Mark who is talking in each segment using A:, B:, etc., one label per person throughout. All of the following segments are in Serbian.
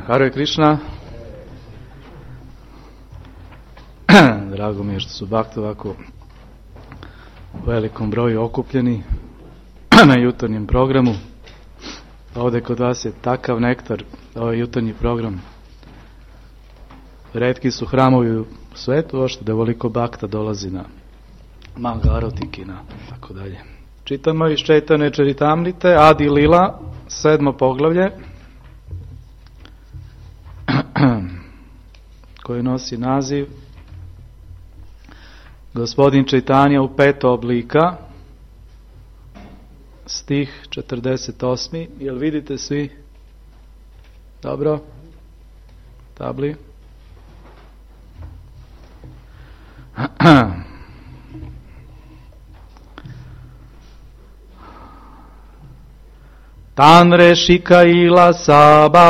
A: Hare Krishna. Drago mi je što su bakti ovako u velikom broju okupljeni na jutarnjem programu. Ovdje kod vas je takav nektar, ovaj jutarnji program. Retki su hramovi u svetu, ošto da veliko bakta dolazi na Mangarotiki i na tako dalje. Čitamo iz Čaitanje Čaritamrite, Adi Lila, 7. poglavlje, koji nosi naziv Gospodin Čaitanja u 5 oblika, stih 48. Jel vidite svi? Dobro? Tabli? Tanre Shikaila Saba,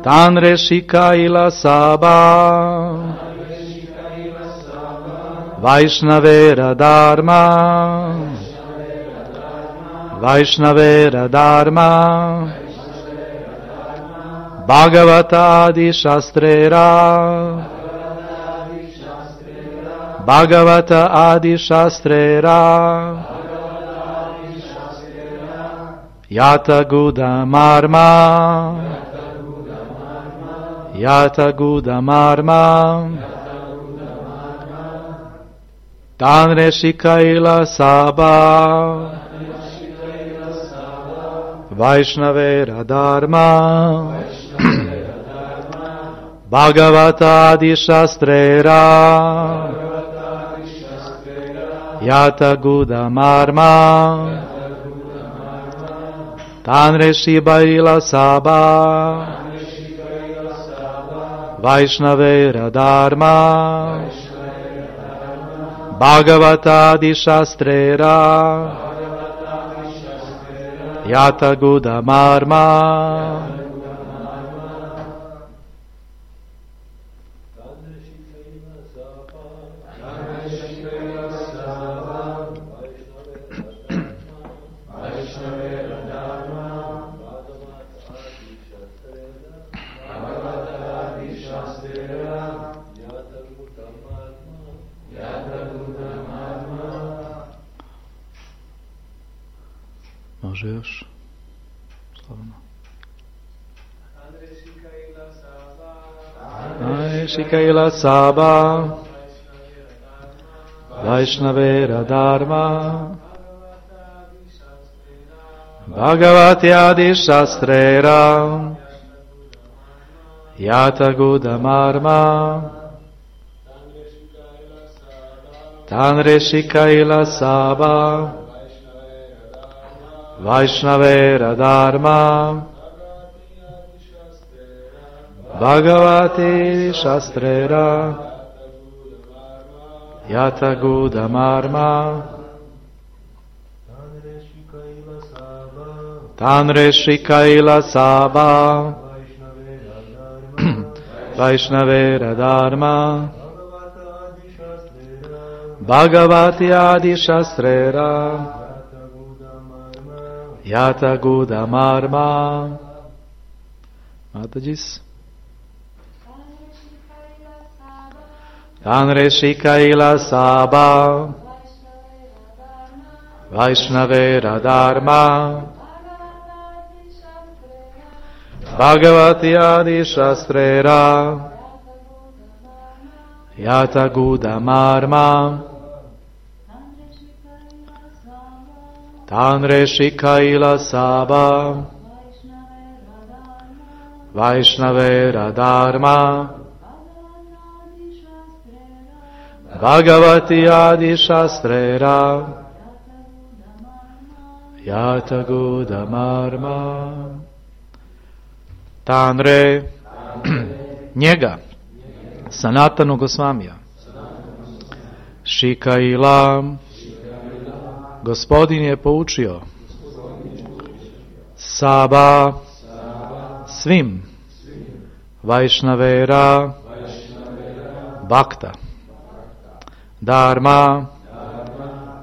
A: Tanre Shikaila Saba, Vaishnavera Dharma, Vaishnavera Dharma, Bhagavata Adi Shastrera, Bhagavata Adi Shastrera, Yata Guda Marma, Yata Guda Marma, Tanre Shikaila Saba, Vaishnavera Dharma, Bhagavata Adi Shastrera, Yata Guda Marma, Tanre Shikaila Saba, Vaishnavera Dharma, Bhagavata Adi Shastrera, Yata Guda Marma. Može još? Slavno. Tanre Shikaila Saba, Vaishnavera Dharma, Bhagavati Adi Shastrera, Yata Guda Marma, Tanre Shikaila Saba, Vaishnavera Dharma, Bhagavati Shastrera, Yata Guda Marma, Tanre Shikaila Saba, Vaishnavera Dharma, Bhagavati Adi Shastrera, Yata Guda Marma. Matajis. Tanre Shikaila Saba, Vaishnavera Dharma, Bhagavati Adi Shastrera, Yata Guda Marma, Tanre Shikaila Saba, Vaishnavera Dharma, Bhagavati Adi Shastrera, Yata Guda Marma. Tanre, njega, Sanatana Gosvamija, Shikaila, Gospodin je poučio, Saba, svim, Vaishnavera, Bhakta, Dharma,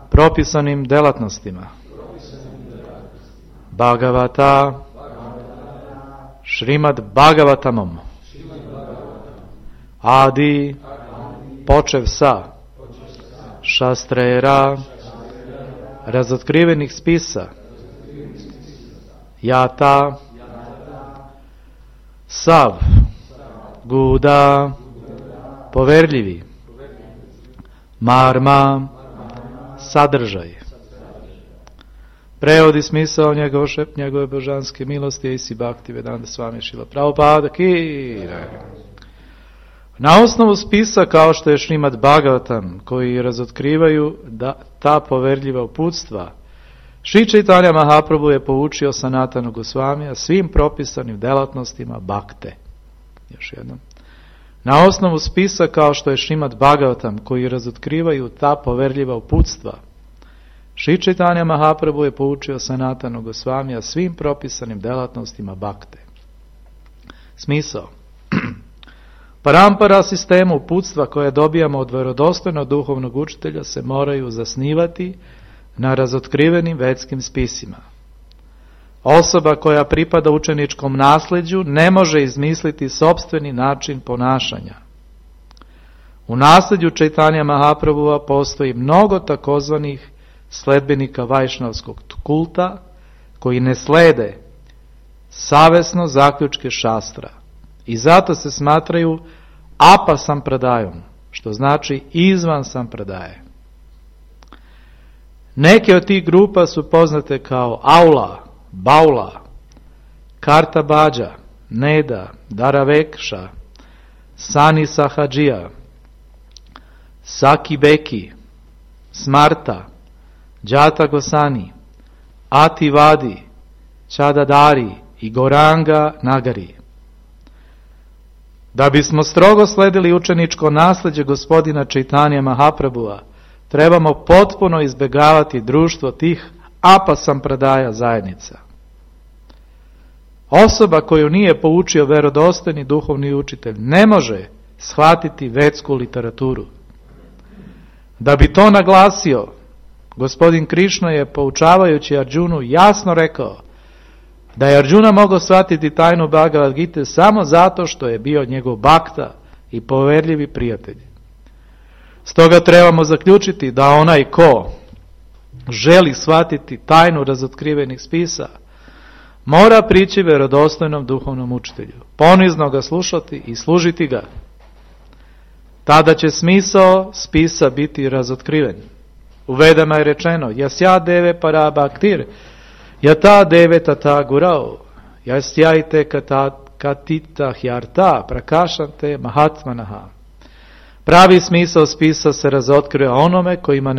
A: propisanim delatnostima, Bhagavata Šrimad Bhagavatamom Adi počev sa Šastrera razotkrivenih spisa Jata Sav Guda poverljivi Marma sadržaj. Prevodi smisao njegove božanske milosti Isi Bhakti Vedanta Swami Šrila Prabhupada ki. Na osnovu spisa kao što je Šrimad Bhagavatam, koji razotkrivaju ta poverljiva uputstva, Šri Chaitanya Mahaprabhu je poučio Sanatanu Gosvamija svim propisanim delatnostima bhakte. Još jednom. Na osnovu spisa kao što je Šrimad Bhagavatam, koji razotkrivaju ta poverljiva uputstva, Šri Chaitanya Mahaprabhu je poučio Sanatanu Gosvamija svim propisanim delatnostima bhakte. Smisao. Parampara sistemu uputstva koje dobijamo od vjerodostojnog duhovnog učitelja se moraju zasnivati na razotkrivenim vedskim spisima. Osoba koja pripada učeničkom nasljeđu ne može izmisliti sopstveni način ponašanja. U nasljeđu Chaitanya Mahaprabhua postoji mnogo takozvanih sledbenika vajšnavskog kulta koji ne slede savesno zaključke šastra i zato se smatraju apa sampradajom, što znači izvan sampradaje. Neke od tih grupa su poznate kao Aula, Baula, Kartabađa, Neda, Daravekša, Sani Sahadžija, Saki Beki, Smarta, Džata Gosani, Ati Vadi, Čadadari i Goranga Nagari. Da bismo strogo sledili učeničko nasljeđe gospodina Chaitanya Mahaprabhua, trebamo potpuno izbjegavati društvo tih apa sampradaja zajednica. Osoba koju nije poučio vjerodostojni duhovni učitelj ne može shvatiti vedsku literaturu. Da bi to naglasio, gospodin Krišna je poučavajući Arjunu jasno rekao da je Arjuna mogao shvatiti tajnu Bhagavad Gite samo zato što je bio njegov bhakta i poverljivi prijatelj. Stoga trebamo zaključiti da onaj ko želi shvatiti tajnu razotkrivenih spisa, mora prići vjerodostojnom duhovnom učitelju, ponizno ga slušati i služiti ga. Tada će smisao spisa biti razotkriven. U Vedama je rečeno, jasya deve para bhaktir, yata deve tata gurao, yasyajte katita hyarta prakashante mahatmanaha. Pravi smisao spisa se razotkriva onome koji ima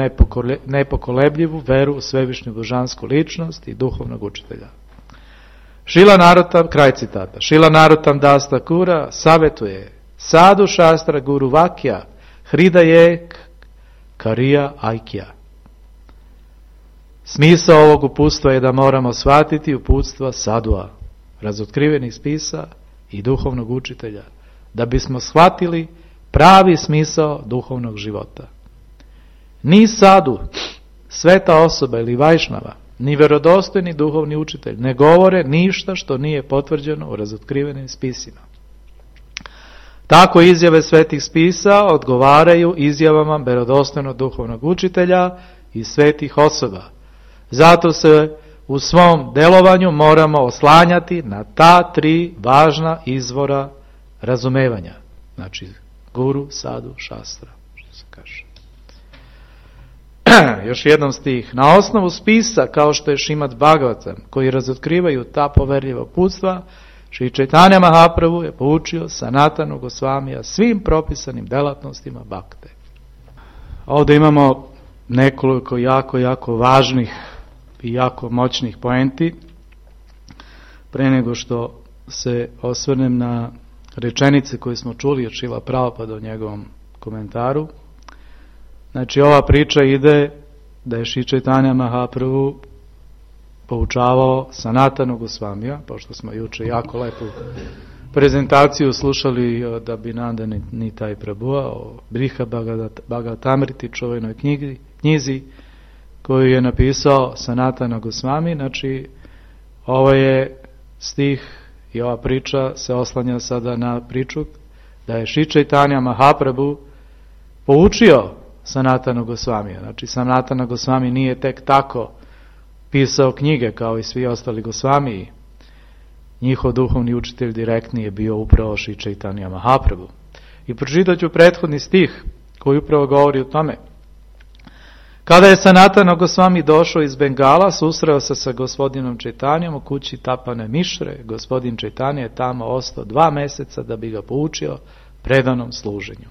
A: nepokolebljivu veru u svevišnju božansku ličnost i duhovnog učitelja. Šrila Narottam, kraj citata, Šrila Narottam Das Thakura savjetuje Sadhu Šastra Guru Vakya Hridaye Kariya Aikya. Smisao ovog uputstva je da moramo shvatiti uputstva sadua, razotkrivenih spisa i duhovnog učitelja, da bismo shvatili pravi smisao duhovnog života. Ni sadu, sveta osoba ili vajšnava, ni vjerodostojni duhovni učitelj ne govore ništa što nije potvrđeno u razotkrivenim spisima. Tako izjave svetih spisa odgovaraju izjavama vjerodostojnog duhovnog učitelja i svetih osoba. Zato se u svom delovanju moramo oslanjati na ta tri važna izvora razumevanja. Znači, guru, sadu, šastra, što se kaže. Još jednom stih. Na osnovu spisa, kao što je Šrimad Bhagavatam, koji razotkrivaju ta poverljiva uputstva, Šri Chaitanya Mahaprabhu je poučio Sanatanu Gosvamija svim propisanim delatnostima bhakte. Ovdje imamo nekoliko jako važnih i jako moćnih poenti. Pre nego što se osvrnem na rečenice koje smo čuli od Šrila Prabhupada u njegovom komentaru. Znači, ova priča ide da je Šri Chaitanya Mahaprabhu poučavao Sanatanu Gosvamija, pošto smo juče jako lepu prezentaciju slušali od Abhinanda Nitai Prabhua o Briha Bhagavatamriti, čuvenoj knjizi koju je napisao Sanatana Gosvami. Znači, Ovo je stih i ova priča se oslanja sada na priču da je Sri Chaitanya Mahaprabhu poučio Sanatana Gosvamija. Znači, Sanatana Gosvami nije tek tako pisao knjige kao i svi ostali Gosvamiji. Njihov duhovni učitelj direktni je bio upravo Sri Chaitanya Mahaprabhu. I pročitat ću prethodni stih koji upravo govori o tome. Kada je Sanatana Gosvami došao iz Bengala, susreo se sa gospodinom Čaitanjom u kući Tapane Mišre. Gospodin Čaitanja je tamo ostao 2 meseca da bi ga poučio predanom služenju.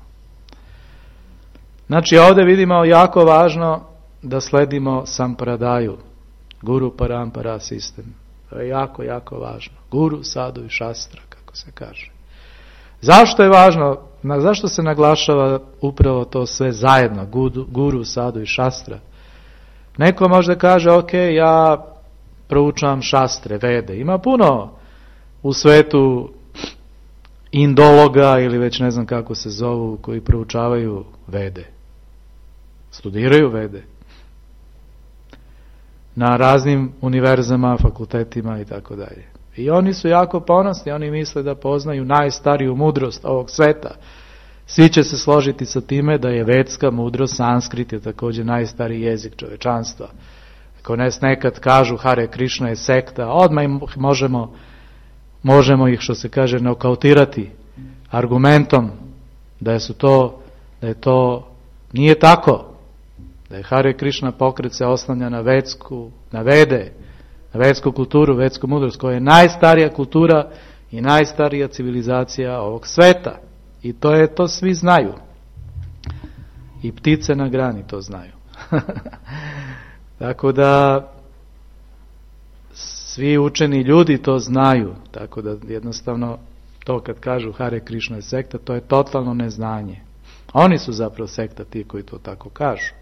A: Znači, ovdje vidimo jako važno da sledimo sampradaju, guru parampara sistem. To je jako, jako važno. Guru, sadu i šastra, kako se kaže. Zašto je važno? Zašto se naglašava upravo to sve zajedno, guru, sadu i šastra? Neko možda kaže, ok, ja proučavam šastre, vede. Ima puno u svetu indologa ili već ne znam kako se zovu, koji proučavaju vede. Studiraju vede. Na raznim univerzama, fakultetima i tako dalje. I oni su jako ponosni, oni misle da poznaju najstariju mudrost ovog sveta. Svi će se složiti sa time da je vedska mudrost, sanskrit je također najstariji jezik čovečanstva. Ako nekad kažu Hare Krishna je sekta, odmah možemo ih, što se kaže, nokautirati argumentom da je to nije tako. Da je Hare Krishna pokret se oslanja na vedsku kulturu, vedsku mudrost, koja je najstarija kultura i najstarija civilizacija ovog sveta. I to svi znaju. I ptice na grani to znaju. Tako da svi učeni ljudi to znaju. Tako da jednostavno to kad kažu Hare Krishna je sekta, to je totalno neznanje. Oni su zapravo sekta ti koji to tako kažu.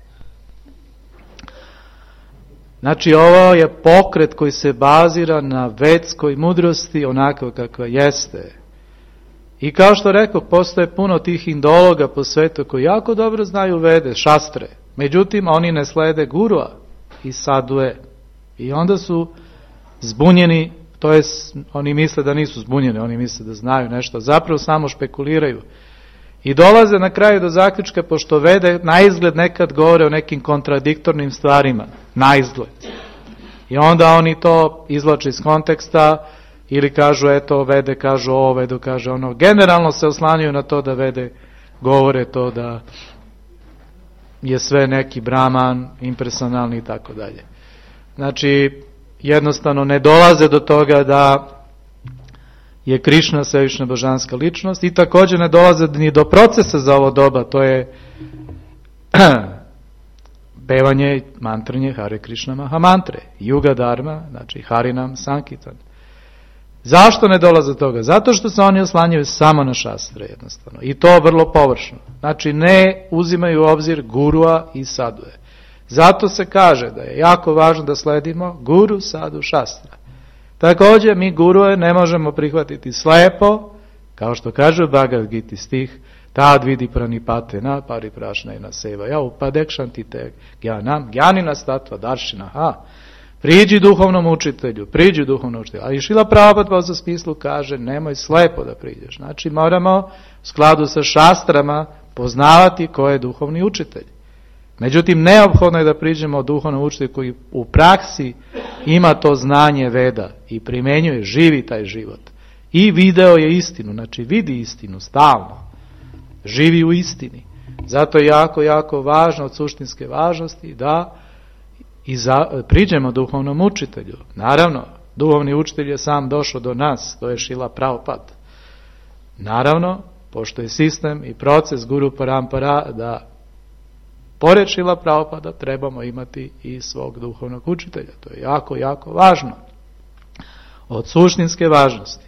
A: Znači, ovo je pokret koji se bazira na vedskoj mudrosti onako kakva jeste. I kao što rekao, postoje puno tih indologa po svetu koji jako dobro znaju vede, šastre. Međutim, oni ne slede gurua i sadue. I onda su zbunjeni, to je, oni misle da nisu zbunjeni, oni misle da znaju nešto, zapravo samo špekuliraju. I dolaze na kraju do zaključka, pošto vede naizgled nekad govore o nekim kontradiktornim stvarima, naizgled. I onda oni to izvlače iz konteksta ili kažu eto vede kažu ovo, vedu kaže ono. Generalno se oslanjaju na to da vede govore to da je sve neki brahman, impersonalni i tako dalje. Znači, jednostavno ne dolaze do toga da je Krišna svevišnja božanska ličnost i također ne dolaze ni do procesa za ovo doba, to je pevanje, mantranje Hare Krishna Mahamantre, Yuga Dharma, znači Harinam Sankitan. Zašto ne dolaze do toga? Zato što se oni oslanjaju samo na šastre jednostavno i to vrlo površno. Znači ne uzimaju u obzir gurua i sadue. Zato se kaže da je jako važno da sledimo guru, sadu, šastra. Također mi gurue ne možemo prihvatiti slepo, kao što kaže Bhagavad Gita stih, tad vidi pranipate na pariprašna i na seva, ja upadekšanti te gjanina statva daršina, priđi duhovnom učitelju, ali Šrila Prabhupada za smislu kaže, nemoj slepo da priđeš, znači moramo u skladu sa šastrama poznavati ko je duhovni učitelj. Međutim, neophodno je da priđemo duhovnom učitelju koji u praksi ima to znanje veda i primjenjuje, živi taj život. I video je istinu, znači vidi istinu stalno. Živi u istini. Zato je jako, jako važno od suštinske važnosti da priđemo duhovnom učitelju. Naravno, duhovni učitelj je sam došao do nas, to je Šrila Prabhupada. Naravno, pošto je sistem i proces Guru Parampara da pored Šrila Prabhupada trebamo imati i svog duhovnog učitelja. To je jako, jako važno. Od suštinske važnosti.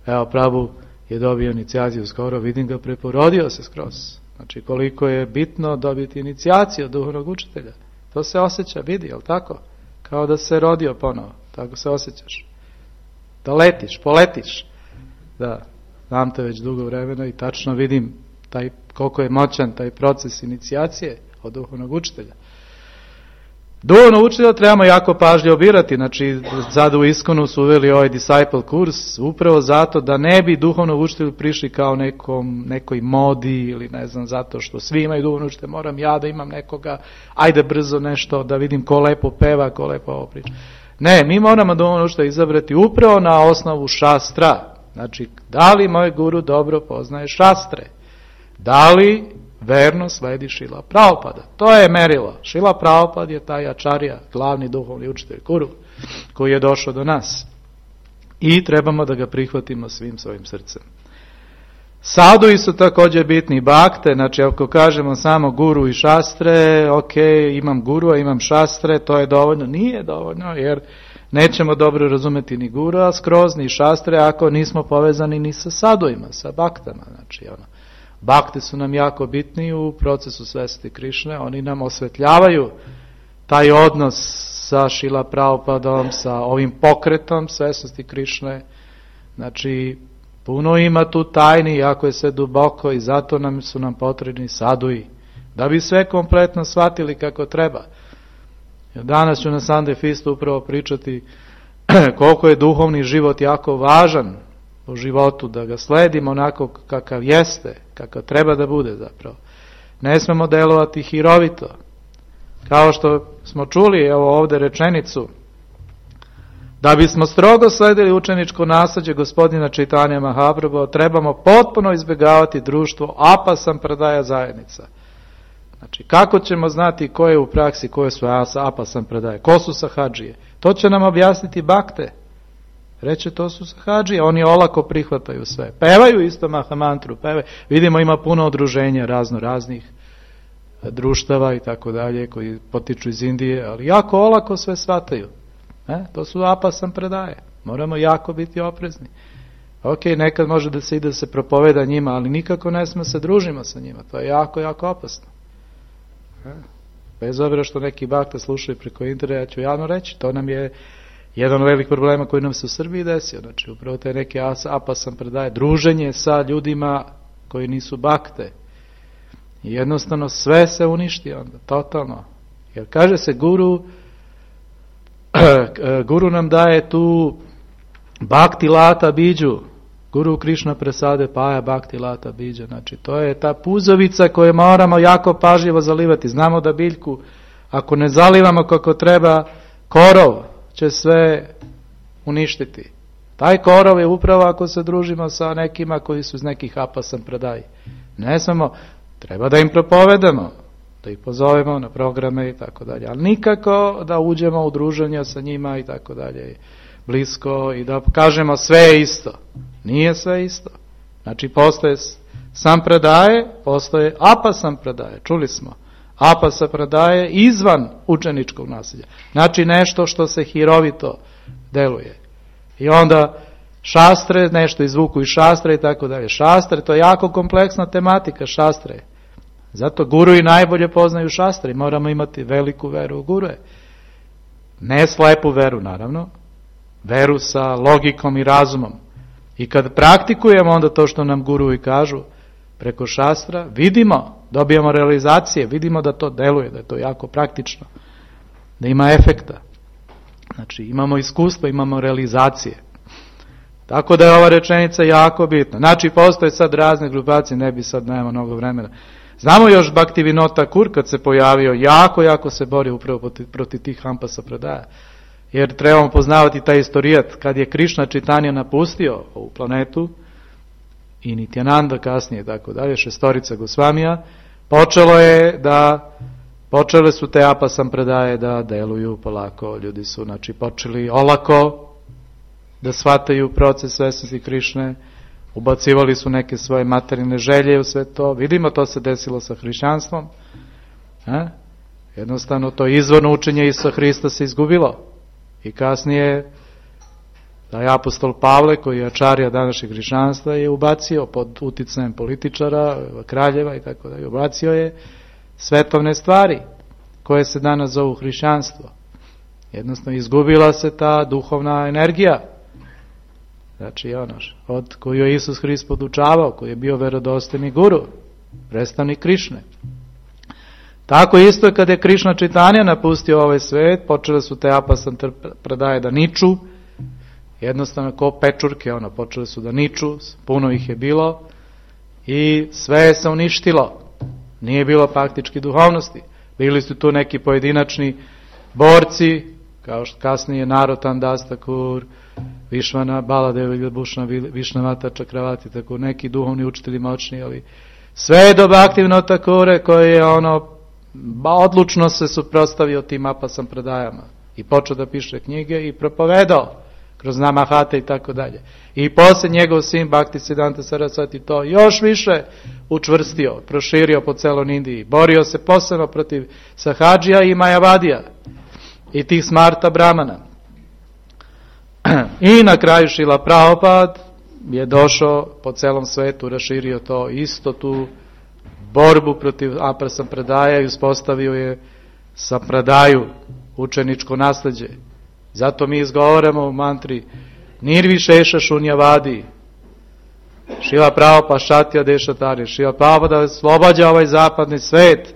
A: Evo, Prabhu je dobio inicijaciju skoro, vidim ga, preporodio se skroz. Znači, koliko je bitno dobiti inicijaciju od duhovnog učitelja. To se osjeća, vidi, jel tako? Kao da se rodio ponovo. Tako se osjećaš. Da letiš, poletiš. Da, znam te već dugo vremena i tačno vidim koliko je moćan taj proces inicijacije od duhovnog učitelja. Duhovno učitelja trebamo jako pažljivo birati, znači sad u Iskonu su uveli ovaj disciple kurs, upravo zato da ne bi duhovno učitelju prišli kao nekoj modi ili ne znam, zato što svi imaju duhovno učitelja, moram ja da imam nekoga, ajde brzo nešto, da vidim ko lepo peva, ko lepo ovo priča. Ne, mi moramo duhovno učitelja izabrati upravo na osnovu šastra, znači da li moj guru dobro poznaje šastre, da li verno sledi Šrila Prabhupada. To je merilo. Šrila Prabhupada je taj Ačarja, glavni duhovni učitelj, guru, koji je došao do nas. I trebamo da ga prihvatimo svim svojim srcem. Sadui su također bitni, bakte, znači ako kažemo samo guru i šastre, ok, imam guru, a imam šastre, to je dovoljno. Nije dovoljno, jer nećemo dobro razumeti ni guru skroz, ni šastre, ako nismo povezani ni sa saduima, sa baktama, znači bakte su nam jako bitni u procesu svesti Krišne, oni nam osvetljavaju taj odnos sa Šrila Prabhupadom, sa ovim pokretom svesnosti Krišne. Znači, puno ima tu tajni, jako je sve duboko i zato su nam potrebni sadui, da bi sve kompletno shvatili kako treba. Danas ću na Sunday Feastu upravo pričati koliko je duhovni život jako važan u životu, da ga sledimo onako kakav jeste, kakav treba da bude zapravo. Ne smemo delovati hirovito. Kao što smo čuli, evo ovdje rečenicu, da bismo strogo sledili učeničko nasljeđe gospodina Čaitanja Mahaprabhu, trebamo potpuno izbjegavati društvo apasampradaja zajednica. Znači, kako ćemo znati ko je u praksi, koje su apasampradaje, ko su sahadžije? To će nam objasniti bakte. Reče, to su sahadžije, oni olako prihvataju sve. Pevaju isto Mahamantru, pevaju. Vidimo, ima puno udruženja raznih društava i tako dalje, koji potiču iz Indije, ali jako olako sve shvataju. To su apasampradaje. Moramo jako biti oprezni. Ok, nekad može da se ide se propoveda njima, ali nikako ne smo se družimo sa njima. To je jako, jako opasno. Bez obzira što neki bakta slušaju preko interneta, ja ću javno reći, to nam je jedan od velikih problema koji nam se u Srbiji desio. Znači, upravo te neke apasampradaje, druženje sa ljudima koji nisu bakte. I jednostavno sve se uništi onda, totalno. Jer kaže se guru nam daje tu bhakti lata biđu, Guru Krišna presade paja bhakti lata biđa. Znači, to je ta puzovica koju moramo jako pažljivo zalivati. Znamo da biljku, ako ne zalivamo kako treba, korov će sve uništiti. Taj korov je upravo ako se družimo sa nekima koji su iz nekih apasampradaji. Ne samo, treba da im propovedamo, da ih pozovemo na programe i tako dalje, ali nikako da uđemo u druženja sa njima i tako dalje, blisko, i da kažemo sve je isto. Nije sve isto. Znači, postoje sampradaje, postoje apasampradaje, čuli smo. Apasampradaje izvan učeničkog nasljeđa. Znači, nešto što se hirovito deluje. I onda šastre, nešto izvuku iz šastre i tako dalje. Šastre, to je jako kompleksna tematika, šastre. Zato guru i najbolje poznaju šastre. Moramo imati veliku veru u gurue. Ne slepu veru, naravno. Veru sa logikom i razumom. I kad praktikujemo onda to što nam guru i kažu preko šastra, vidimo, dobijamo realizacije, vidimo da to deluje, da je to jako praktično, da ima efekta. Znači, imamo iskustvo, imamo realizacije. Tako da je ova rečenica jako bitna. Znači, postoje sad razne grupacije, ne bi sad, nema mnogo vremena. Znamo još Bhaktivinoda Thakur kad se pojavio, jako se borio upravo protiv tih apasampradaja. Jer trebamo poznavati taj istorijat, kad je Krišna Čaitanja napustio ovu planetu, i Nityananda kasnije, tako dalje, šestorica Gosvamija, počele su te apasampradaje da deluju polako. Ljudi su, znači, počeli olako da shvataju proces svesnosti Krišne, ubacivali su neke svoje materijalne želje u sve to. Vidimo, to se desilo sa hrišćanstvom. Jednostavno, to izvorno učenje Isusa Hrista se izgubilo. I kasnije, taj apostol Pavle, koji je ačarija današnjeg hrišćanstva, je ubacio pod uticajem političara, kraljeva i tako dalje, ubacio je svetovne stvari koje se danas zovu hrišćanstvo. Jednostavno, izgubila se ta duhovna energija. Znači, od koju je Isus Hrist podučavao, koji je bio verodostojni guru, predstavnik Krišne. Tako isto je kada je Krišna Čitanja napustio ovaj svet, počele su te apasampradaje da niču, jednostavno ko pečurke, počele su da niču, puno ih je bilo i sve se uništilo. Nije bilo praktički duhovnosti. Bili su tu neki pojedinačni borci, kao što kasnije Narotam Das Thakur, Višvana Baladev Viljabhushana, Višnavata Čakravati, tako neki duhovni učitelji moćni, ali sve do Bhaktivinoda Thakure koji je odlučno se suprotstavio tim apasampradajama i počeo da piše knjige i propovedao kroz Namahate i tako dalje. I posle njegov sin Bhaktisiddhanta Sarasvati to još više učvrstio, proširio po celom Indiji. Borio se posebno protiv Sahadžija i Majavadija i tih smarta brahmana. I na kraju Šrila Prabhupada je došao po celom svetu, raširio to isto tu borbu protiv apasampradaja i uspostavio je sampradaju, učeničko nasleđe. Zato mi izgovaramo u mantri Nirvišeša Šunjavadi, Šrila Prabhupada Šatya Dešatari, Šrila Prabhupada oslobađa ovaj zapadni svet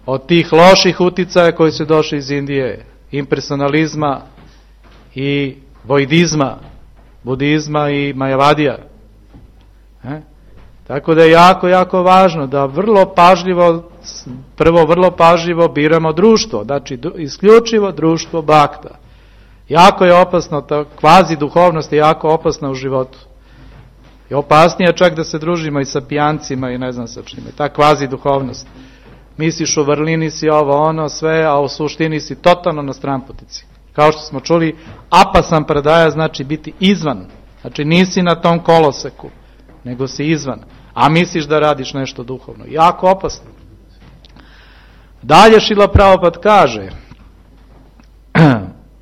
A: od tih loših uticaja koji su došli iz Indije, impersonalizma i vojdizma, budizma i majavadija. Tako da je jako, jako važno da vrlo pažljivo biramo društvo, znači isključivo društvo bhakta. Jako je opasno, ta kvazi duhovnost je jako opasna u životu. I opasnije čak da se družimo i sa pijancima i ne znam sa čime. Ta kvazi duhovnost. Misliš u vrlini si ovo sve, a u suštini si totalno na stranputici. Kao što smo čuli, apasampradaja znači biti izvan. Znači nisi na tom koloseku, nego si izvan. A misliš da radiš nešto duhovno. Jako opasno. Dalje Šrila Prabhupada kaže,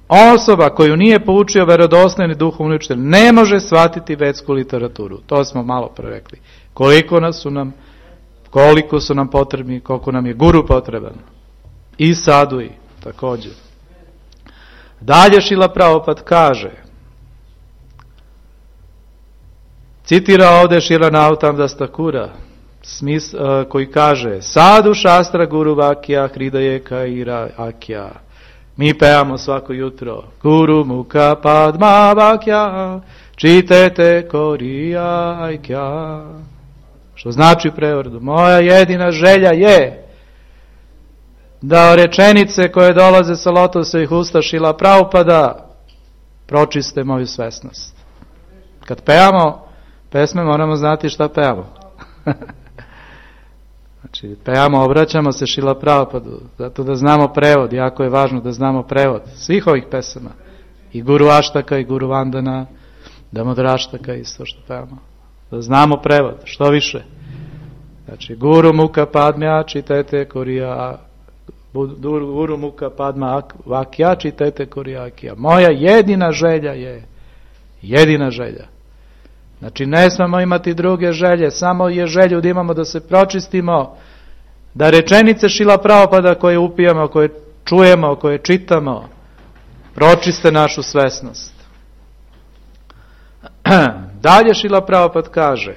A: osoba koju nije poučio verodostojni duhovni učitelj ne može shvatiti vedsku literaturu. To smo malo pre rekli. Koliko su nam potrebni, koliko nam je guru potreban. I sadui također. Dalje Šrila Prabhupada kaže, citira ovdje Šrila Narotam Das Thakura, koji kaže, Sadhu šastra guru vakya hridayeka ira akya. Mi pevamo svako jutro, Guru mukha padma vakya čitete koriya aikya. Što znači u prevodu, moja jedina želja je da rečenice koje dolaze sa lotosovih usta Šrila Prabhupada pročiste moju svesnost. Kad pevamo pesme, moramo znati šta pevamo. Znači, pevamo, obraćamo se Šrila Prabhupadu, zato da znamo prevod, jako je važno da znamo prevod svih ovih pesama. I Guru Aštaka, i Guru Vandana, Damodraštaka, isto što pevamo. Da znamo prevod, što više. Znači, Guru Mukha Padma čitete koriya, Guru Mukha Padma vakya čitete koriya akya. Moja jedina želja je, jedina želja. Znači, ne smemo imati druge želje, samo je želju da imamo da se pročistimo, da rečenice Šrila Prabhupada koje upijamo, koje čujemo, koje čitamo, pročiste našu svesnost. Dalje Šrila Prabhupada kaže,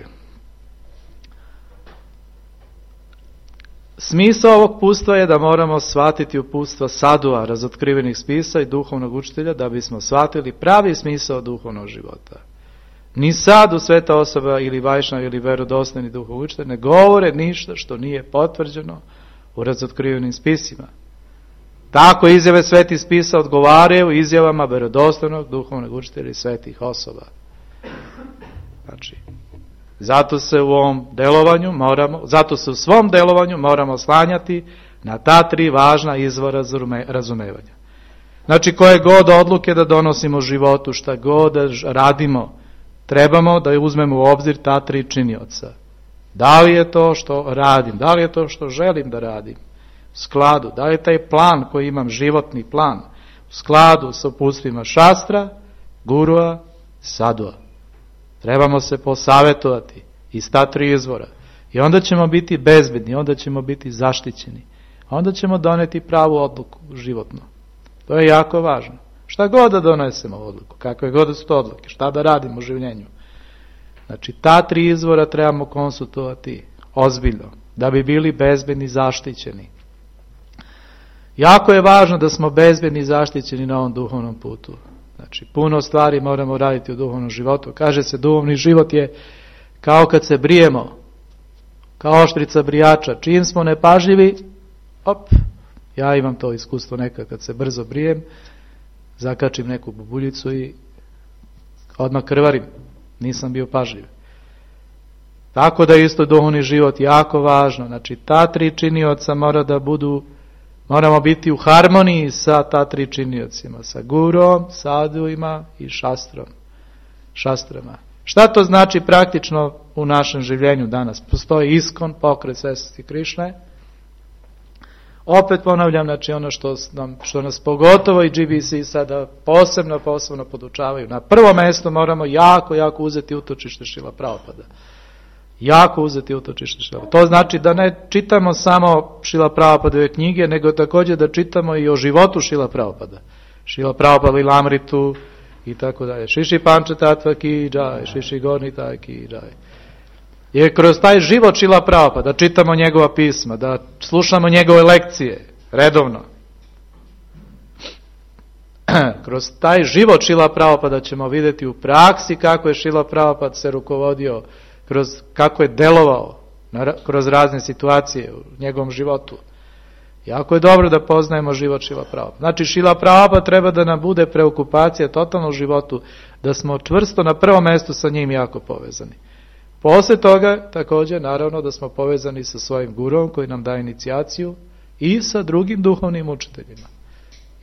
A: smisao ovog uputstva je da moramo shvatiti uputstva sadua, razotkrivenih spisa i duhovnog učitelja, da bismo shvatili pravi smisao duhovnog života. Ni sadu, sveta osoba ili vajšnava ili verodostojni duhovni učitelj ne govore ništa što nije potvrđeno u razotkrivenim spisima. Tako izjave svetih spisa odgovaraju izjavama verodostojnog duhovnog učitelja i svetih osoba. Znači, zato se u svom delovanju moramo slanjati na ta tri važna izvora razumevanja. Znači, koje god odluke da donosimo u životu, šta god da radimo, trebamo da uzmemo u obzir ta tri činioca. Da li je to što radim, da li je to što želim da radim u skladu, da li je taj plan koji imam, životni plan, u skladu sa uputstvima šastra, gurua, sadua. Trebamo se posavetovati iz ta tri izvora. I onda ćemo biti bezbedni, onda ćemo biti zaštićeni. Onda ćemo doneti pravu odluku životno. To je jako važno. Šta god da donesemo odluku, kakve god su to odluke, šta da radimo u življenju. Znači, ta tri izvora trebamo konsultovati ozbiljno, da bi bili bezbedni, zaštićeni. Jako je važno da smo bezbedni i zaštićeni na ovom duhovnom putu. Znači, puno stvari moramo raditi u duhovnom životu. Kaže se, duhovni život je kao kad se brijemo, kao oštrica brijača. Čim smo nepažljivi, ja imam to iskustvo nekad kad se brzo brijem, zakačim neku bubuljicu i odmah krvarim. Nisam bio pažljiv. Tako da isto duhovni život jako važno. Znači, ta tri činioca moramo biti u harmoniji sa ta tri činiocima. Sa gurom, sadhuima i šastrama. Šta to znači praktično u našem življenju danas? Postoji ISKCON, pokret Svetosti Krišne. Opet ponavljam, znači ono što nas pogotovo i GBC sada posebno podučavaju. Na prvo mjesto moramo jako uzeti utočište Šrila Prabhupada. Jako uzeti utočište Šrila. To znači da ne čitamo samo Šrila Prabhupadove knjige, nego također da čitamo i o životu Šrila Prabhupada. Šrila Prabhupada Lilamritu i tako dalje. Šiši Pančatattva ki džaj, Šiši Gornita ki džaj. Jer kroz taj život Šrila Prabhupada, da čitamo njegova pisma, da slušamo njegove lekcije redovno. Kroz taj život Šrila Prabhupada ćemo vidjeti u praksi kako je Šrila Prabhupada se rukovodio, kako je delovao kroz razne situacije u njegovom životu. Jako je dobro da poznajemo život Šrila Prabhupada. Znači, Šrila Prabhupada treba da nam bude preokupacija totalno u životu, da smo čvrsto na prvom mjestu sa njim jako povezani. Poslije toga, također, naravno, da smo povezani sa svojim gurom koji nam daje inicijaciju i sa drugim duhovnim učiteljima.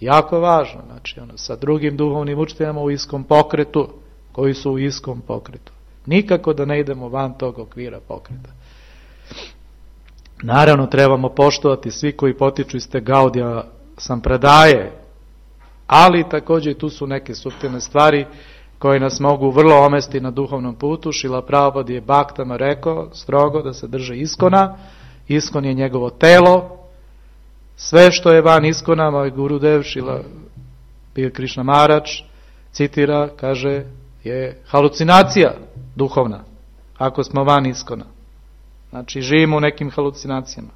A: Jako važno, znači, sa drugim duhovnim učiteljima u iskom pokretu, koji su u iskom pokretu. Nikako da ne idemo van tog okvira pokreta. Naravno, trebamo poštovati svi koji potiču iz te Gaudija Sampradaje, ali također i tu su neke suptilne stvari koje nas mogu vrlo omesti na duhovnom putu. Šrila Prabhupada je baktama rekao strogo da se drže ISKCON-a. ISKCON je njegovo telo. Sve što je van ISKCON-a, moj Gurudev Šrila Krišna Maharaj citira, kaže, je halucinacija duhovna, ako smo van ISKCON-a. Znači, živimo u nekim halucinacijama.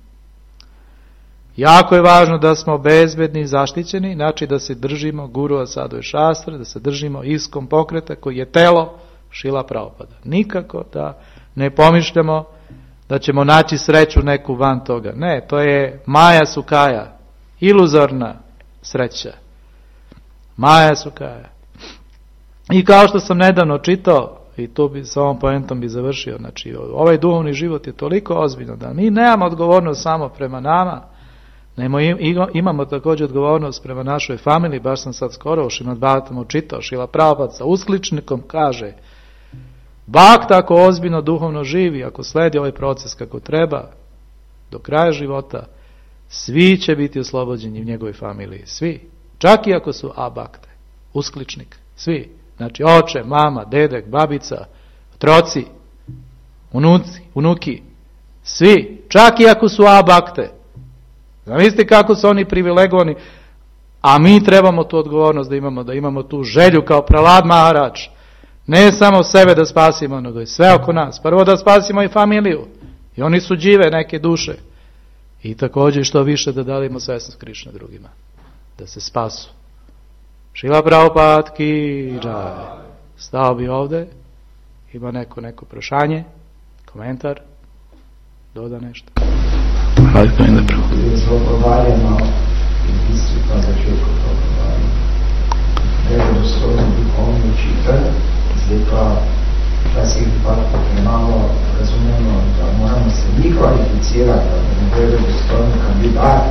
A: Jako je važno da smo bezbedni i zaštićeni, znači da se držimo Gurua Sadhu i Šastre, da se držimo ISKCON pokreta koji je telo Šrila Prabhupada. Nikako da ne pomišljamo da ćemo naći sreću neku van toga. Ne, to je Maja Sukaja, iluzorna sreća. Maja Sukaja. I kao što sam nedavno čitao, i tu bi sa ovom poentom bi završio, znači ovaj duhovni život je toliko ozbiljan da mi nemamo odgovornost samo prema nama, imamo također odgovornost prema našoj familiji. Baš sam sad skoro u Šrimad Bhagavatamu čitao, Šrila Prabhupada sa uskličnikom kaže, Bhakta ako ozbiljno duhovno živi, ako sledi ovaj proces kako treba, do kraja života, svi će biti oslobođeni u njegovoj familiji. Svi. Čak i ako su abakte. Uskličnik. Svi. Znači oče, mama, dedek, babica, otroci, unuki. Svi. Čak i ako su abakte. Zamislite kako su oni privilegovani, a mi trebamo tu odgovornost da imamo tu želju kao Prahlad Maharaj. Ne samo sebe da spasimo, nego i sve oko nas. Prvo da spasimo i familiju. I oni su žive neke duše. I također što više da dalimo svesnost Krišne drugima. Da se spasu. Šrila Prabhupada ki džaj. Stao bi ovdje. Ima neko prašanje, komentar, doda nešto. Hvala pa ide pravo.
B: Zlogovarjamo i istipa za čovjeko progovarjamo. Evo dostojno duhovno čitati, zdaj pa včasih pa premalo razumemo, da moramo se mi kvalificirati, da ne bude dostojno kandidat,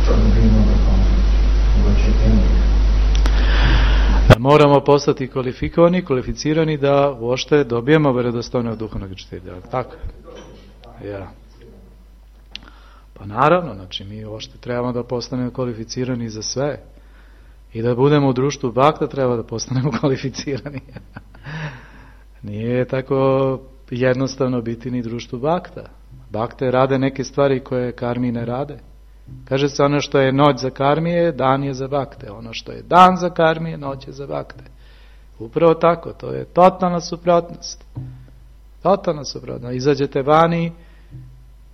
B: da dobimo duhovno. Mogoče temu.
A: Da moramo postati kvalificirani da uopšte dobijemo vjerodostojnog duhovnog učitelja. Tako? Ja. Pa naravno, znači mi uopšte trebamo da postanemo kvalificirani za sve. I da budemo u društvu Bhakta treba da postanemo kvalificirani. Nije tako jednostavno biti ni društvu Bhakta. Bhakte rade neke stvari koje karmi ne rade. Kaže se ono što je noć za karmije, dan je za Bhakte. Ono što je dan za karmije, noć je za Bhakte. Upravo tako, to je totalna suprotnost. Totalna suprotnost. Izađete vani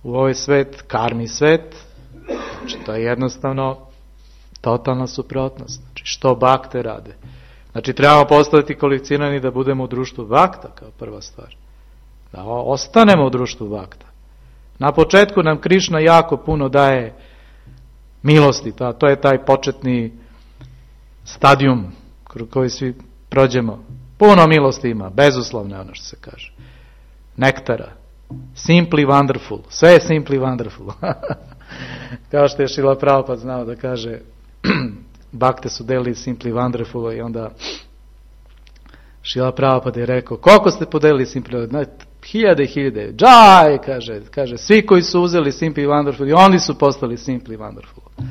A: u ovaj svet, karmi svet, znači to je jednostavno Totalna suprotnost. Znači, što bakte rade? Znači, trebamo postati kvalificirani da budemo u društvu bakta, kao prva stvar. Da ostanemo u društvu bakta. Na početku nam Krišna jako puno daje milosti, to je taj početni stadijum kroz koji svi prođemo. Puno milosti ima, bezuslovno ono što se kaže. Nektara. Simply wonderful. Sve je simply wonderful. Kao što je Šrila Prabhupada znao da kaže, bakte su delili simply wonderful, i onda Šrila Prabhupada je rekao, koliko ste podelili simply wonderful? Hiljade i hiljade. Džaj, kaže, svi koji su uzeli simply wonderful, i oni su postali simply wonderful.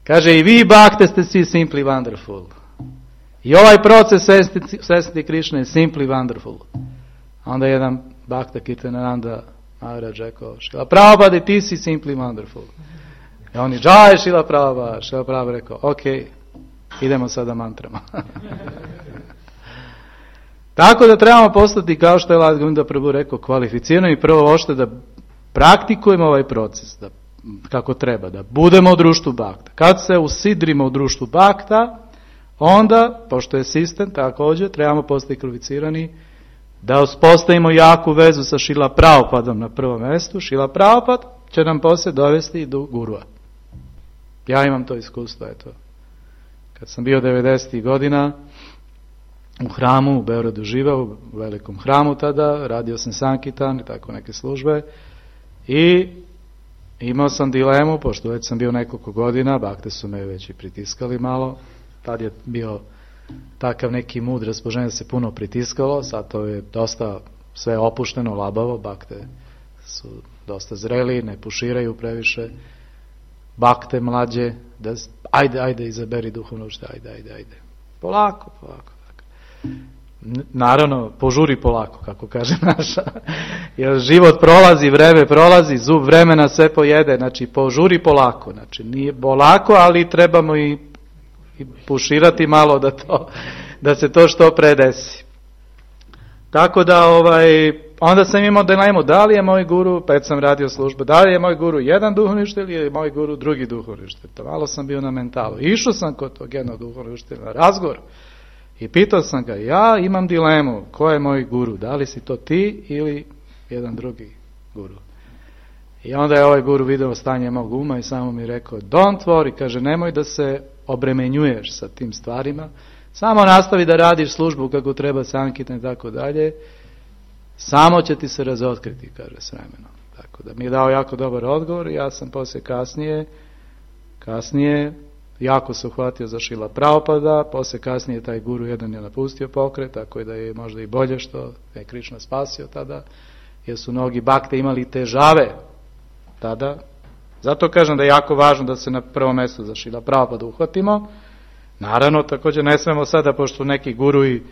A: Kaže, i vi bakte ste svi simply wonderful. I ovaj proces svesti Krišne je simply wonderful. Onda jedan bakta Kirtanananda Maharaj rekao, Šrila Prabhupada, ti si simply wonderful. I oni, džaj, Šrila Prabhupada. Šrila Prabhupada rekao, ok, idemo sada mantrama. Tako da trebamo postati, kao što je Ladgunda Prabhu rekao, kvalificirani i prvo ošte da praktikujemo ovaj proces, da, kako treba, da budemo u društvu bakta. Kad se usidrimo u društvu bakta, onda, pošto je sistem, također, trebamo postati kvalificirani da uspostavimo jaku vezu sa Šrila Prabhupadom na prvom mjestu. Šrila Prabhupada će nam poslije dovesti i do gurua. Ja imam to iskustvo, eto. Kad sam bio 90. godina, u hramu, u Beogradu živao, u velikom hramu tada, radio sam Sankitan i tako neke službe, i imao sam dilemu, pošto već sam bio nekoliko godina, bakte su me već i pritiskali malo, tad je bio takav neki mud raspoloženja, se puno pritiskalo, sad to je dosta sve opušteno, labavo, bakte su dosta zreli, ne puširaju previše, bakte mlađe, da, ajde, izaberi duhovno učitelja, ajde. Polako. Naravno, požuri polako, kako kaže naša. Jer život prolazi, vreme prolazi, zub vremena sve pojede, znači požuri polako. Znači nije polako, ali trebamo i puširati malo da se to što pre desi. Tako da onda sam imao dilemu, da li je moj guru, pa sam radio službu, da li je moj guru jedan duhovni učitelj ili je moj guru drugi duhovni učitelj. To malo sam bio na mentalu. Išao sam kod tog jednog duhovnog učitelja na razgovor i pitao sam ga, ja imam dilemu, ko je moj guru, da li si to ti ili jedan drugi guru. I onda je ovaj guru video stanje mog uma i samo mi rekao, don't worry, kaže, nemoj da se obremenjuješ sa tim stvarima, samo nastavi da radiš službu kako treba, Sankirtan i tako dalje, samo će ti se razotkriti, kaže, s vremenom. Tako da mi je dao jako dobar odgovor, ja sam poslije kasnije jako se uhvatio za Šrila Prabhupada, poslije kasnije taj guru jedan je napustio pokret, tako da je možda i bolje što je Krišna spasio tada, jer su mnogi bakte imali težave tada. Zato kažem da je jako važno da se na prvom mjestu za Šrila Prabhupada uhvatimo. Naravno, također ne smemo sada, pošto neki guruji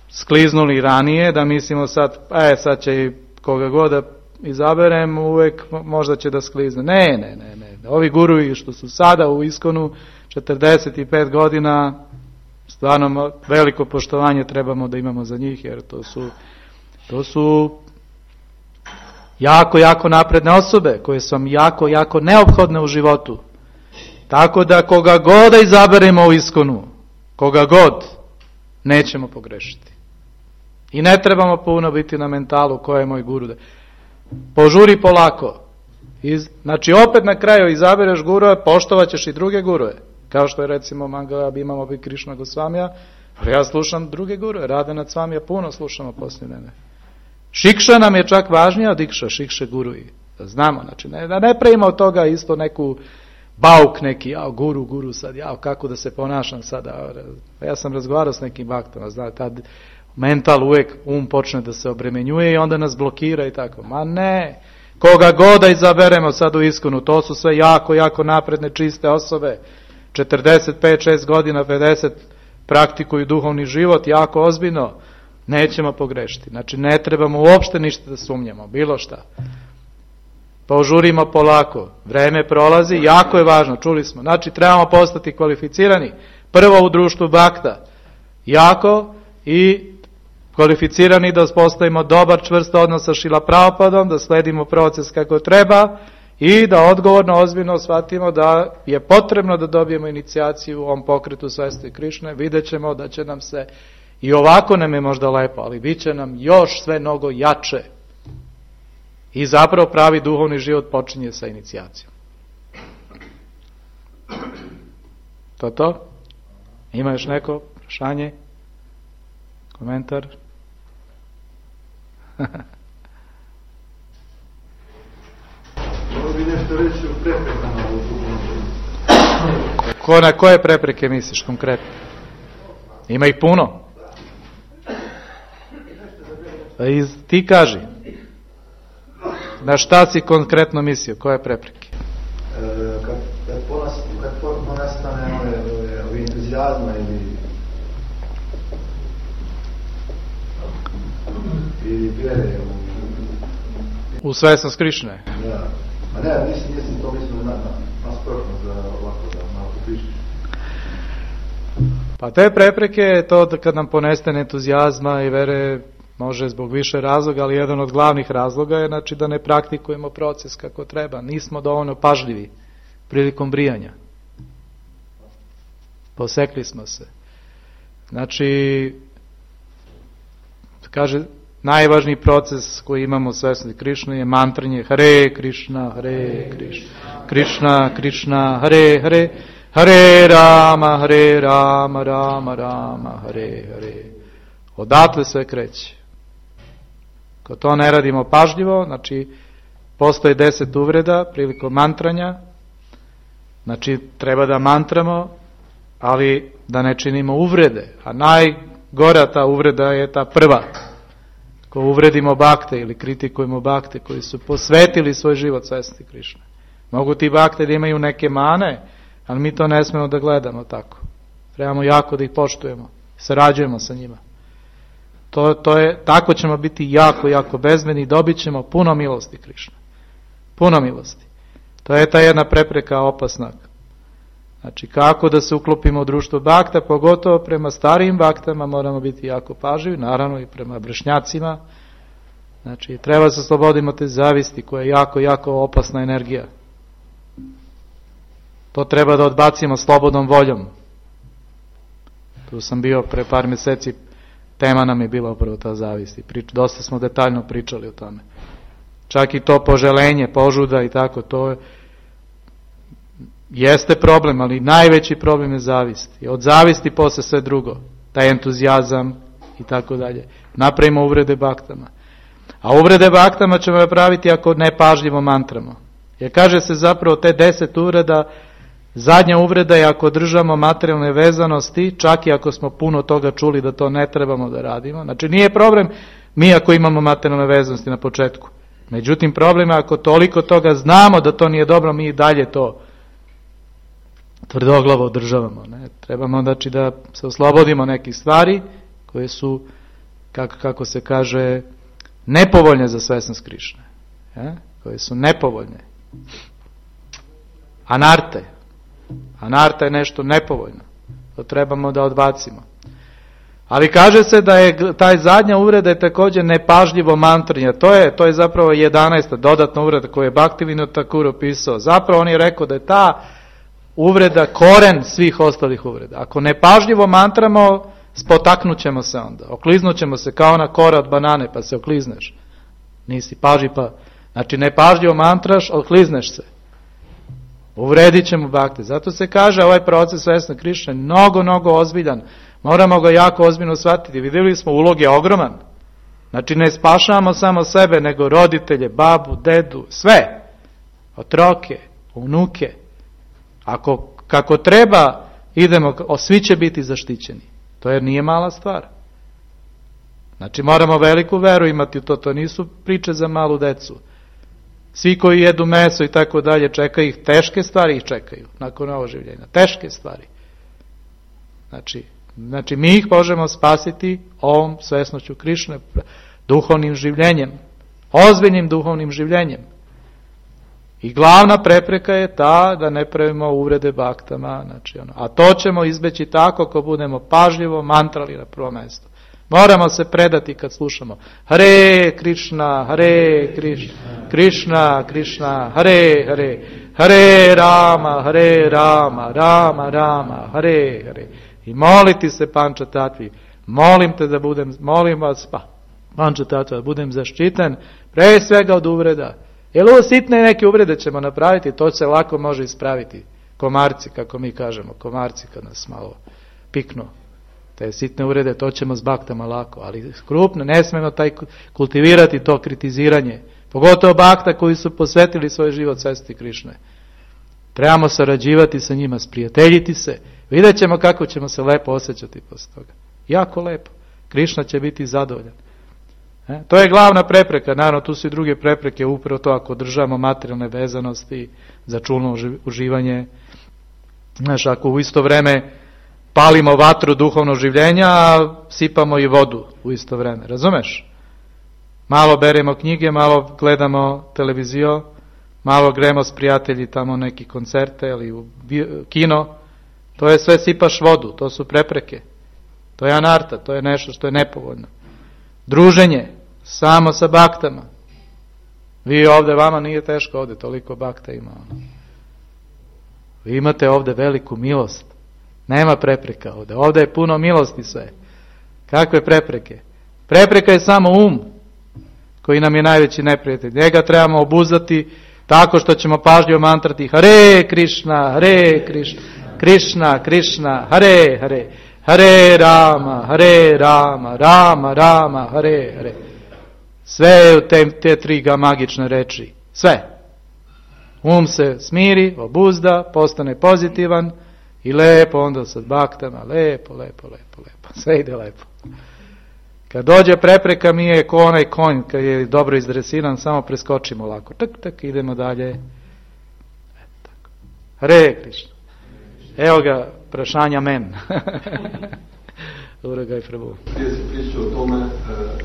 A: skliznuli ranije, da mislimo sad će i koga god da izaberem, uvijek možda će da sklizne. Ne. Ovi guruji što su sada u Iskonu 45 godina, stvarno veliko poštovanje trebamo da imamo za njih, jer to su jako napredne osobe koje su vam jako neophodne u životu. Tako da koga god da izaberemo u Iskonu, koga god, nećemo pogrešiti. I ne trebamo puno biti na mentalu ko je moj guru. Požuri polako. Znači opet na kraju izabereš gurue, poštovat ćeš i druge gurue. Kao što je recimo Mangala imamo bi Krišna Gosvamija, ali ja slušam druge gurue, Radhanath Swamija puno slušamo poslije mene. Šikša nam je čak važnija od Dikša, Šikše guruji. Da znamo, znači da ne pravimo od toga isto neku bauk neki, guru sad, kako da se ponašam sada. Ja sam razgovarao s nekim baktama, znate, tad mental uvijek počne da se obremenjuje i onda nas blokira i tako. Ma ne, koga god da izaberemo sad u Iskonu, to su sve jako napredne, čiste osobe, 45-6 godina, 50, praktikuju duhovni život, jako ozbiljno, nećemo pogrešiti. Znači ne trebamo uopšte ništa da sumnjamo, bilo šta. Požurimo polako, vreme prolazi, jako je važno, čuli smo. Znači trebamo postati kvalificirani, prvo u društvu bakta, jako, i kvalificirani da uspostavimo dobar čvrst odnos sa Šrila Prabhupadom, da sledimo proces kako treba i da odgovorno, ozbiljno shvatimo da je potrebno da dobijemo inicijaciju u ovom pokretu svesti Krišne. Vidjet ćemo da će nam se, i ovako nam je možda lepo, ali bit će nam još sve mnogo jače. I zapravo pravi duhovni život počinje sa inicijacijom. To? Ima još neko prašanje? Komentar?
C: Mogu bi nešto reći o preprekama u duhovnom životu?
A: Na koje prepreke misliš konkretno? Ima ih puno. Ti kaži. Na šta si konkretno mislio? Koje prepreke?
C: Kad ponestane ove entuzijazma ili vjere
A: u svesnost Krišne.
C: Da. A ne, nisam to mislim nasprotno za ovako da malo popričaš.
A: Pa te prepreke je to da kad nam ponestane entuzijazma i vere, može zbog više razloga, ali jedan od glavnih razloga je znači da ne praktikujemo proces kako treba. Nismo dovoljno pažljivi prilikom brijanja. Posekli smo se. Znači, kaže, najvažniji proces koji imamo u svesnosti Krišne je mantranje Hare Krišna, Hare Krišna, Krišna, Krišna, Hare Hare, Hare Rama, Rama Rama, Hare Hare. Odatle sve kreće. Ako to ne radimo pažljivo, znači postoje 10 uvreda prilikom mantranja, znači treba da mantramo, ali da ne činimo uvrede, a najgora ta uvreda je ta prva. Ko uvredimo bakte ili kritikujemo bakte koji su posvetili svoj život svesti Krišne. Mogu ti bakte da imaju neke mane, ali mi to ne smemo da gledamo tako. Trebamo jako da ih poštujemo, sarađujemo sa njima. Tako ćemo biti jako, jako bezbedni i dobit ćemo puno milosti Krišne. Puno milosti. To je ta jedna prepreka opasna. Znači kako da se uklopimo u društvo bakta, pogotovo prema starijim baktama moramo biti jako pažljivi, naravno i prema vršnjacima. Znači treba se osloboditi te zavisti koja je jako, jako opasna energija. To treba da odbacimo slobodnom voljom. Tu sam bio pre par mjeseci, tema nam je bila upravo ta zavist. Dosta smo detaljno pričali o tome. Čak i to poželenje, požuda i tako, to jeste problem, ali najveći problem je zavist. I od zavisti posle sve drugo. Taj entuzijazam i tako dalje. Napravimo uvrede baktama. A uvrede baktama ćemo napraviti ako ne pažljivo mantramo. Jer kaže se zapravo te 10 uvreda, zadnja uvreda je ako držamo materijalne vezanosti, čak i ako smo puno toga čuli da to ne trebamo da radimo. Znači nije problem mi ako imamo materijalne vezanosti na početku. Međutim problem je ako toliko toga znamo da to nije dobro, mi i dalje to tvrdoglavo održavamo. Ne? Trebamo znači da se oslobodimo nekih stvari koje su, kako se kaže, nepovoljne za svesnost Krišne. Koje su nepovoljne. Anarte. Anarta je nešto nepovoljno. To trebamo da odbacimo. Ali kaže se da je taj zadnja uvreda je također nepažljivo mantranje. To je zapravo 11. dodatna uvreda koju je Bhaktivinoda Thakur opisao. Zapravo on je rekao da je ta uvreda koren svih ostalih uvreda. Ako nepažljivo mantramo, spotaknut ćemo se onda. Okliznut ćemo se kao ona kora od banane, pa se oklizneš. Nisi paži pa. Znači nepažljivo mantraš, oklizneš se. Uvredit ćemo bakte. Zato se kaže ovaj proces svesne Krišne mnogo, mnogo ozbiljan. Moramo ga jako ozbiljno shvatiti. Vidjeli smo, ulog je ogroman. Znači ne spašavamo samo sebe, nego roditelje, babu, dedu, sve. Otroke, unuke. Kako treba, idemo, svi će biti zaštićeni. To jer nije mala stvar. Znači moramo veliku veru imati u to. To nisu priče za malu decu. Svi koji jedu meso i tako dalje, čekaju ih, teške stvari ih čekaju nakon oživljenja. Teške stvari. Znači mi ih možemo spasiti ovom svesnošću Krišne, duhovnim življenjem, ozbiljnim duhovnim življenjem. I glavna prepreka je ta da ne pravimo uvrede baktama. A to ćemo izbeći tako ako budemo pažljivo mantrali na prvo mjesto. Moramo se predati kad slušamo Hare Krishna, Hare Krishna, Krishna Krishna, Hare Hare, Hare Rama, Hare Rama, Rama Rama, Hare Hare. I moliti se Pančatatvi, molim vas, Pančatatva, da budem zaštićen pre svega od uvreda. Jer ovo sitne neke uvrede ćemo napraviti, to se lako može ispraviti. Komarci, kako mi kažemo, komarci kad nas malo piknu. Te sitne uvrede, to ćemo s baktama lako, ali krupno, ne smemo kultivirati to kritiziranje. Pogotovo bakta koji su posvetili svoj život svesti Krišne. Trebamo sarađivati sa njima, sprijateljiti se. Vidjet ćemo kako ćemo se lepo osjećati posle toga. Jako lepo. Krišna će biti zadovoljan. To je glavna prepreka. Naravno, tu su i druge prepreke, upravo to ako državamo materijalne vezanosti za čulno uživanje. Znaš, ako u isto vreme palimo vatru duhovnog življenja, a sipamo i vodu u isto vreme. Razumeš? Malo beremo knjige, malo gledamo televiziju, malo gremo s prijatelji tamo neki koncerte ili u kino. To je sve sipaš vodu, to su prepreke. To je anarta, to je nešto što je nepovoljno. Druženje, samo sa baktama. Vi ovdje, vama nije teško ovdje, toliko bakta ima. Vi imate ovdje veliku milost. Nema prepreka ovdje. Ovdje je puno milosti sve. Kakve prepreke? Prepreka je samo koji nam je najveći neprijatelj. Njega trebamo obuzdati tako što ćemo pažljivo mantrati Hare Krishna, Hare Krishna, Krishna Krishna, Hare Hare, Hare Rama, Hare Rama, Rama Rama, Hare Hare. Sve u te tri magične reči. Sve. Se smiri, obuzda, postane pozitivan i lepo onda sa baktama, lepo. Sve ide lepo. Kad dođe prepreka, mi je ko onaj konj, kad je dobro izdresiran, samo preskočimo lako. Tak, idemo dalje. Tako. Hare Krishna. Evo ga, prašanja men. Uragaj Prabhu.
D: Prije se priča o tome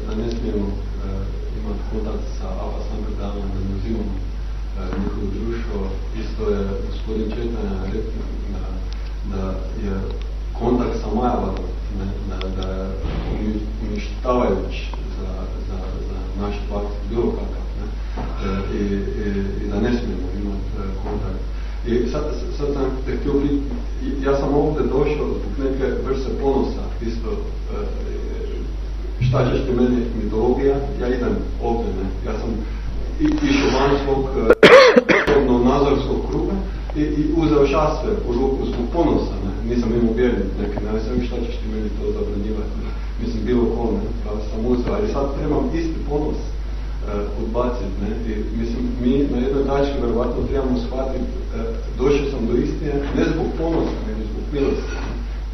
D: da ne smijemo imati kontakt sa Avasankirtanom, da ne uzimamo njihovo društvo. Isto je gospodin Četanja rekao da je kontakt sa Majavadom, da je uništavajući za naš bakt bilo kakav, i da ne smijemo imati kontakt. I sad sam te htio biti, ja sam ovdje došao zbog neke vrste ponosa, isto, šta ćeš ti meni mitologija, ja idem ovdje, ja sam išao van svog nazorskog kruga i uzeo šasve u ruku zbog ponosa, nisam imao vjernik neki, ne sam šta ćeš ti meni to zabranjivati, mislim bilo ko, pa sam uzeo, ali sad trebam isti ponos odbaciti, i mislim, mi na jednoj tački verovatno trebamo shvatiti, došao sam do istine, ne zbog ponosa, nego zbog milosti,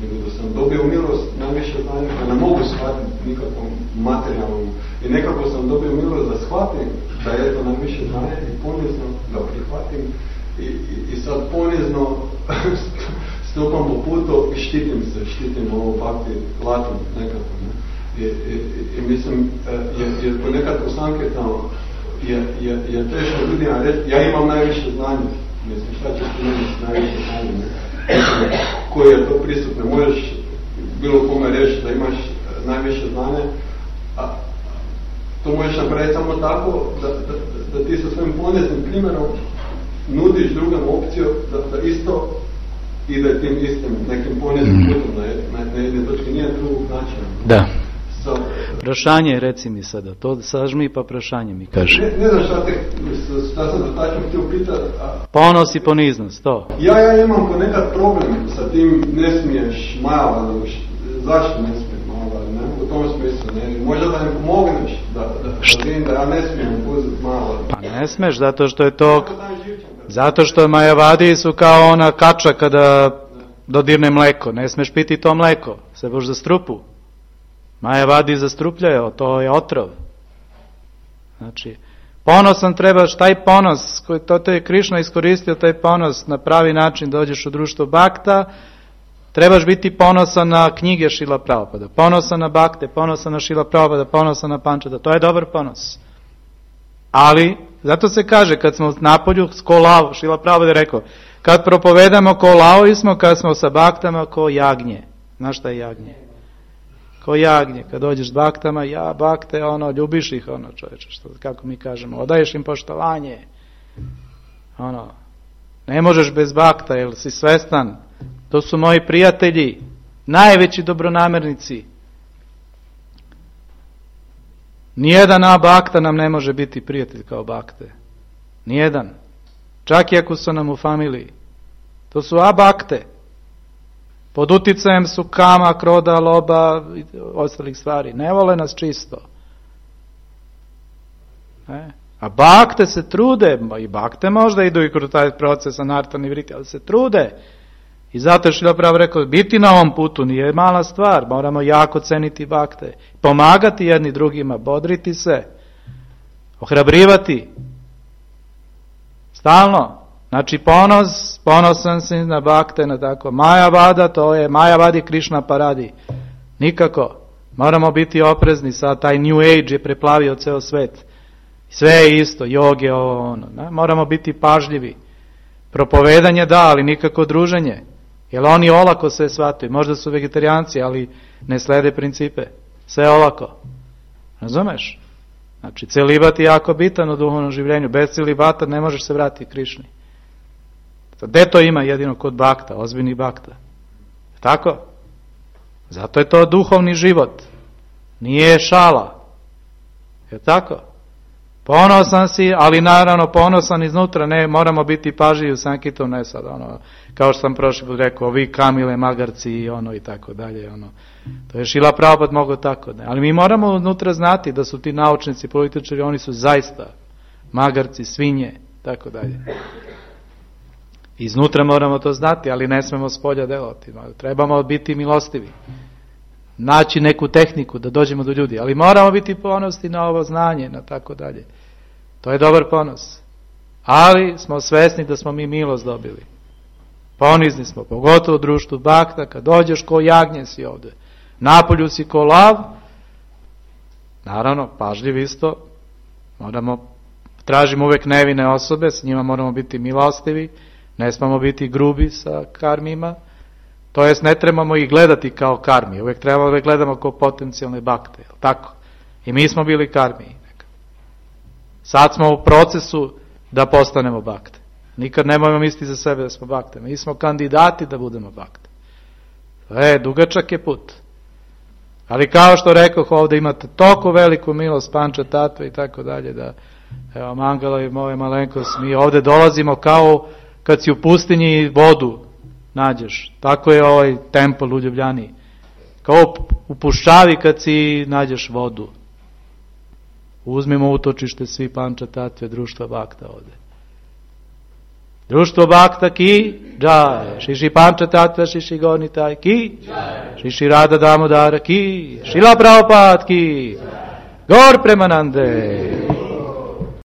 D: nego da sam dobio milost najviše znanja, da ne mogu shvatiti nikakvom materijalnom, i nekako sam dobio milost da shvatim da je to najviše znanja i ponizno da prihvatim i sad ponizno stupam po putu i štitim ovo bakti latom nekako, ne? I mislim, jer ponekad u Sankirtanu je teško ljudima reći, ja imam najviše znanja, mislim, šta ćeš ti meni najviše znanja, ne? Koji je to pristup, ne možeš bilo kome reći da imaš najviše znanja, a to možeš napraviti samo tako da ti sa svojim poniznim primjerom nudiš drugom opciju da isto ide tim istim nekim poniznim putom na jedne točke, nije drugog načina.
A: Da. Prašanje, reci mi sada, to sažmi pa prašanje mi kaže.
D: Ne znam šta sam tačno htio pitati.
A: Ponos i poniznost, to.
D: Ja imam ponekad problem sa tim, ne smiješ Majava, zašto ne smiješ Majava, ne? U tom smislu, ne? Možda da ne pomogneš da ja ne smijem uzeti Majava.
A: Pa ne smiješ, zato što je to... Zato što Majavadi su kao ona kača kada dodirne mleko, ne smiješ piti to mleko, se boš za strupu. Majavadi zastrupljaju, to je otrov. Znači, ponosan trebaš, taj ponos, to je Krišna iskoristio, taj ponos na pravi način dođeš u društvo bakta, trebaš biti ponosan na knjige Šrila Prabhupada, ponosan na bakte, ponosan na Šrila Prabhupada, ponosan na Pančata, to je dobar ponos. Ali, zato se kaže, kad smo napolju ko lao, Šrila Prabhupada je rekao, kad propovedamo ko laovi smo, kad smo sa baktama ko jagnje. Znaš šta je jagnje? Ko jagnje, kad dođeš s baktama, bakte, ljubiš ih, čovječe, kako mi kažemo, odaješ im poštovanje. Ne možeš bez bakta, jer si svestan. To su moji prijatelji, najveći dobronamernici. Nijedan bakta nam ne može biti prijatelj kao bakte. Nijedan. Čak i ako su nam u familiji. To su bakte. Pod uticajem su kama, kroda, loba i ostalih stvari. Ne vole nas čisto. A bakte se trude, i bakte možda idu i kroz taj proces anartani vriti, ali se trude. I zato je Šrila Prabhupada rekao, biti na ovom putu nije mala stvar, moramo jako ceniti bakte. Pomagati jedni drugima, bodriti se, ohrabrivati. Stalno. Znači ponosan si na bakte, na tako. Majavada, to je, Majavadi Krišna paradi. Nikako. Moramo biti oprezni, sad taj New Age je preplavio ceo svet. Sve je isto, joge, moramo biti pažljivi. Propovedanje da, ali nikako druženje. Jer oni olako sve shvataju. Možda su vegetarijanci, ali ne slede principe. Sve olako. Razumeš? Znači, celibat je jako bitan u duhovnom življenju. Bez celibata ne možeš se vratiti Krišni. Gde to ima jedino kod bakta, ozbiljnih bakta? Tako? Zato je to duhovni život. Nije šala. Je tako? Ponosan si, ali naravno ponosan iznutra, ne, moramo biti pažljivi u Sankitom, ne sad, kao što sam prošli put rekao, ovi kamile, magarci i tako dalje, To je Šrila Prabhupada mogao tako, ne. Ali mi moramo unutra znati da su ti naučnici, političari, oni su zaista magarci, svinje, tako dalje. Iznutra moramo to znati, ali ne smemo s polja delovati. Trebamo biti milostivi. Naći neku tehniku da dođemo do ljudi, ali moramo biti ponosni na ovo znanje, na tako dalje. To je dobar ponos. Ali smo svesni da smo mi milost dobili. Ponizni smo, pogotovo u društvu bakta, kad dođeš ko jagnje si ovde. Napolju si ko lav, naravno, pažljiv isto, tražimo uvek nevine osobe, s njima moramo biti milostivi, ne smemo biti grubi sa karmima, to jest ne trebamo ih gledati kao karmi, uvek trebamo da gledamo kao potencijalne bakte, tako? I mi smo bili karmi. Sad smo u procesu da postanemo bakte. Nikad nemojmo misliti za sebe da smo bakte. Mi smo kandidati da budemo bakte. Dugačak je put. Ali kao što rekoh, ovde imate toliko veliku milost, panča, tatva i tako dalje, da, evo, Mangala i moje malenkost, mi ovde dolazimo kao kad si u pustinji vodu nađeš. Tako je ovaj templ u Ljubljani. Kao u Puščavi kad si nađeš vodu. Uzmimo utočište svi panča, tatve, društva bakta ovde. Društvo bakta ki džaj, Šiši panča tatva, Šiši gornitaj ki džaj, Šiši Rada Damodara ki, Šrila Prabhupada ki, Gor Premanande.